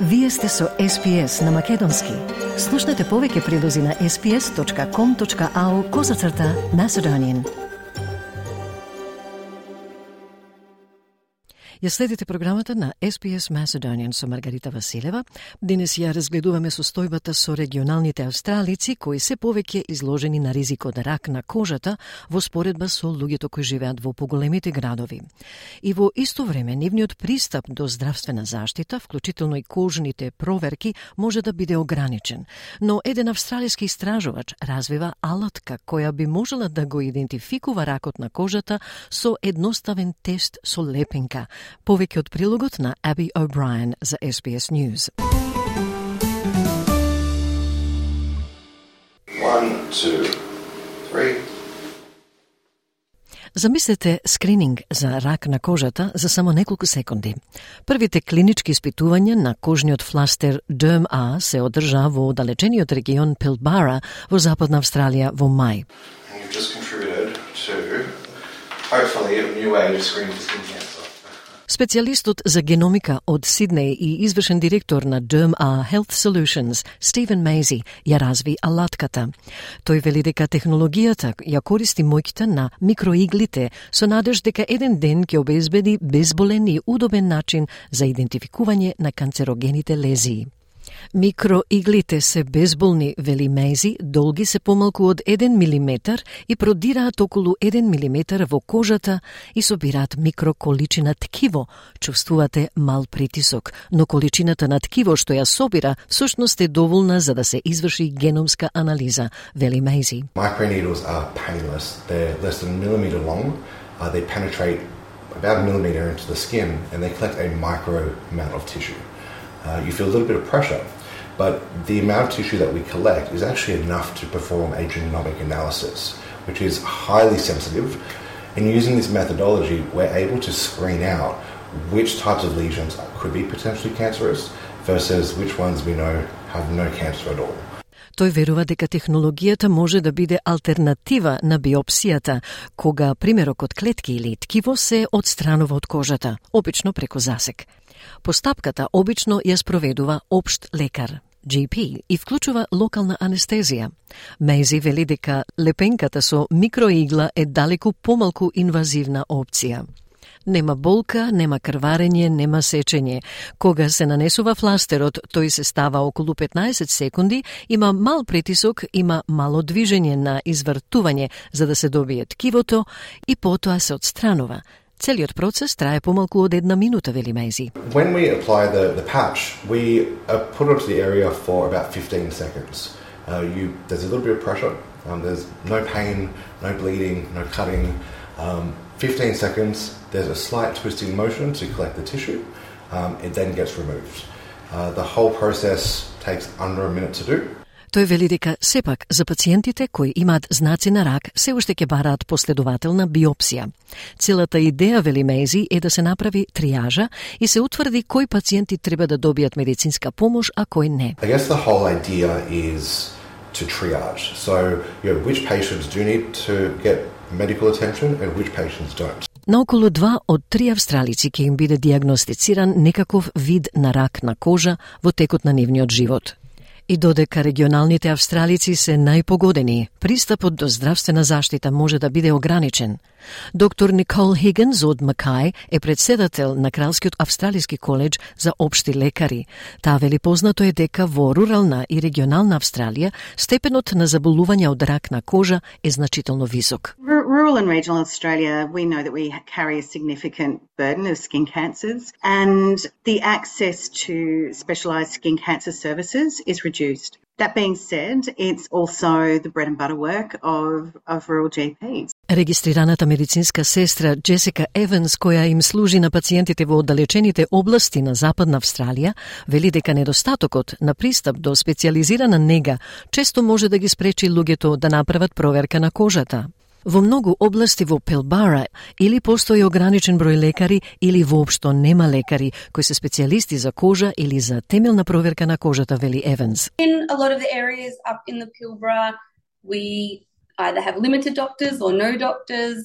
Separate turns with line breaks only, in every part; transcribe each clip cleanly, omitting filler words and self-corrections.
Вие сте со SPS на Македонски. Слушнете повеќе прилози на sps.com.au/Macedonian. Ја следите програмата на SPS Macedonian со Маргарита Василева. Денес ја разгледуваме состојбата со регионалните австралици кои се повеќе изложени на ризик од рак на кожата во споредба со луѓето кои живеат во поголемите градови. И во исто време нивниот пристап до здравствена заштита, вклучително и кожните проверки, може да биде ограничен. Но еден австралиски истражувач развива алатка која би можела да го идентификува ракот на кожата со едноставен тест со лепенка. Повеќе од прилогот на Abby O'Brien за SBS News.
1, 2, 3.
Замислете скрининг за рак на кожата за само неколку секунди. Првите клинички испитувања на кожниот фластер Derm-A се одржа во далечениот регион Pilbara во Западна Австралија во мај.
You've just contributed to, hopefully, a new way to screen for skin cancer.
Специјалистот за геномика од Сиднеј и извршен директор на Derm-A Health Solutions, Stephen Mazie, ја разви алатката. Тој вели дека технологијата ја користи моќта на микроиглите со надеж дека еден ден ќе обезбеди безболен и удобен начин за идентификување на канцерогените лезии. Микроиглите се безболни, вели Мейзи, долги се помалку од 1 милиметар и продираат околу 1 милиметар во кожата и собираат микроколичина ткиво. Чувствувате мал притисок, но количината на ткиво што ја собира всушност е доволна за да се изврши геномска анализа, вели Мейзи.
Microneedles are painless. They're less than a millimeter long. They penetrate about a millimeter into the skin and they collect a micro amount of tissue. You feel a little bit of pressure, but the amount of tissue that we collect is actually enough to perform a genomic analysis, which is highly sensitive. And using this methodology, we're able to screen out which types of lesions could be potentially cancerous versus which ones we know have no cancer at all.
Тој верува дека технологијата може да биде алтернатива на биопсијата, кога примерок од клетки или ткиво се одстранува од кожата, обично преку засек. Постапката обично ја спроведува општ лекар, GP, и вклучува локална анестезија. Мейзи вели дека лепенката со микроигла е далеку помалку инвазивна опција. Нема болка, нема крварење, нема сечење. Кога се нанесува фластерот, тој се става околу 15 секунди, има мал притисок, има мало движење на извртување за да се добие ткивото и потоа се одстранува. Целиот процес трае помалку од 1 минута, вели Мейзи.
When we apply the patch, we put it onto the area for about 15 seconds. There's a little bit of pressure. There's no pain, no bleeding, no cutting. 15 seconds, there's a slight twisting motion to collect the tissue. It then gets removed. The whole process takes under a minute to do.
Тој вели дека сепак за пациентите кои имаат знаци на рак се уште ќе бараат последователна биопсија. Целата идеја, вели Мейзи, е да се направи триажа и се утврди кои пациенти треба да добијат медицинска помош, а кои не.
I guess the whole idea is to triage. So, which patients do need to get medical attention and which patients don't.
Наоколу 2 од 3 австралици ќе им биде диагностициран некаков вид на рак на кожа во текот на нивниот живот. И додека регионалните австралици се најпогодени, пристапот до здравствена заштита може да биде ограничен. Доктор Никол Хигинс од Макај е председател на Кралскиот австралиски коледж за општи лекари. Таа вели познато е дека во рурална и регионална Австралија степенот на заболување од рак на кожа е значително висок.
Rural and regional Australia, we know that we carry a significant burden of skin cancers and the access to specialised skin cancer services is reduced. That being said, it's also the bread and butter work of rural GPs.
Регистрираната медицинска сестра Джесика Еванс, која им служи на пациентите во оддалечените области на Западна Австралија, вели дека недостатокот на пристап до специјализирана нега често може да ги спречи луѓето да направат проверка на кожата. Во многу области во Pilbara или постои ограничен број лекари или воопшто нема лекари кои се специјалисти за кожа или за темелна проверка на кожата, вели Еванс.
In a lot of the areas up in the Pilbara, we either have limited doctors or no doctors,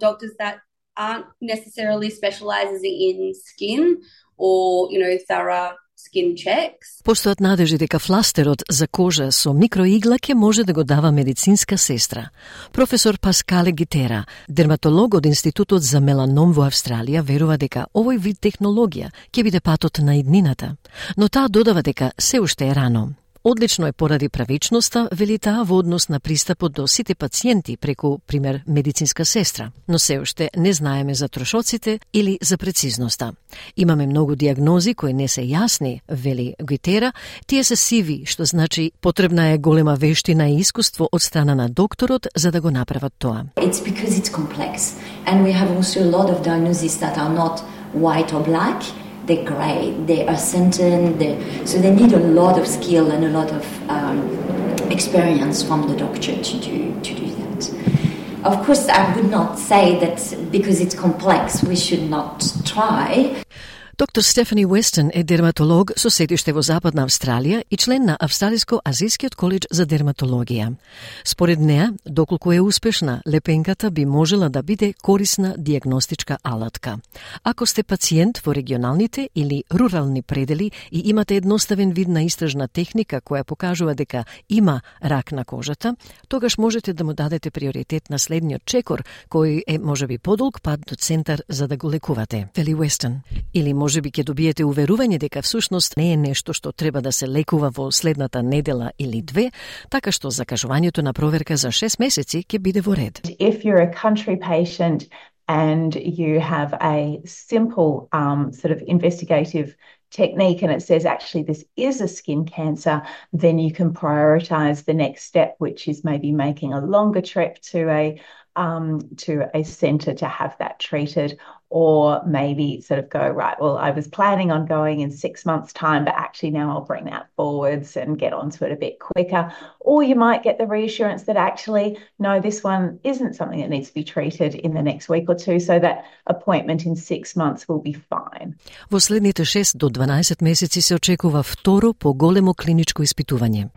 doctors that aren't necessarily specialising in skin or, thorough skin checks.
Постојат надежи дека фластерот за кожа со микроигла ќе може да го дава медицинска сестра. Професор Паскале Гитера, дерматолог од Институтот за меланом во Австралија, верува дека овој вид технологија ќе биде патот на иднината, но таа додава дека се уште е рано. Одлично е поради правичноста, вели таа, во однос на пристапот до сите пациенти преку, пример, медицинска сестра, но се уште не знаеме за трошоците или за прецизноста. Имаме многу диагнози кои не се јасни, вели Гитера, тие се сиви, што значи потребна е голема вештина и искуство од страна на докторот за да го направат тоа.
It's because it's complex and we have also a lot of diagnoses that are not white or black. They're grey, they are sentient, so they need a lot of skill and a lot of experience from the doctor to do that. Of course, I would not say that because it's complex, we should not try.
Доктор Стефани Уестон е дерматолог со седиште во Западна Австралија и член на Австралиско-азијскиот коледж за дерматологија. Според неа, доколку е успешна, лепенката би можела да биде корисна диагностичка алатка. Ако сте пациент во регионалните или рурални предели и имате едноставен вид на истражна техника која покажува дека има рак на кожата, тогаш можете да му дадете приоритет на следниот чекор, кој е можеби подолг пат до центар за да го лекувате. Вели Уестон. Или можеби ќе добиете уверување дека всушност не е нешто што треба да се лекува во следната недела или две, така што закажувањето на проверка за 6 месеци ќе биде во ред.
If you're a country patient and you have a simple sort of investigative technique and it says actually this is a skin cancer, then you can prioritize the next step, which is maybe making a longer trip to a centre to have that treated, or maybe sort of go, right, well, I was planning on going in 6 months' time, but actually now I'll bring that forwards and get onto it a bit quicker. Or you might get the reassurance that actually, no, this one isn't something that needs to be treated in the next week or two, so that appointment in 6 months will be fine.
Во следните 6 до 12 месеци се очекува второ поголемо клиничко испитување.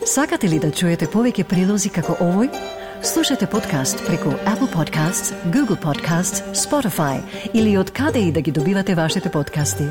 Сакате ли да чуете повеќе прилози како овој? Слушате подкаст преку Apple Podcasts, Google Podcasts, Spotify или од каде и да ги добивате вашите подкасти.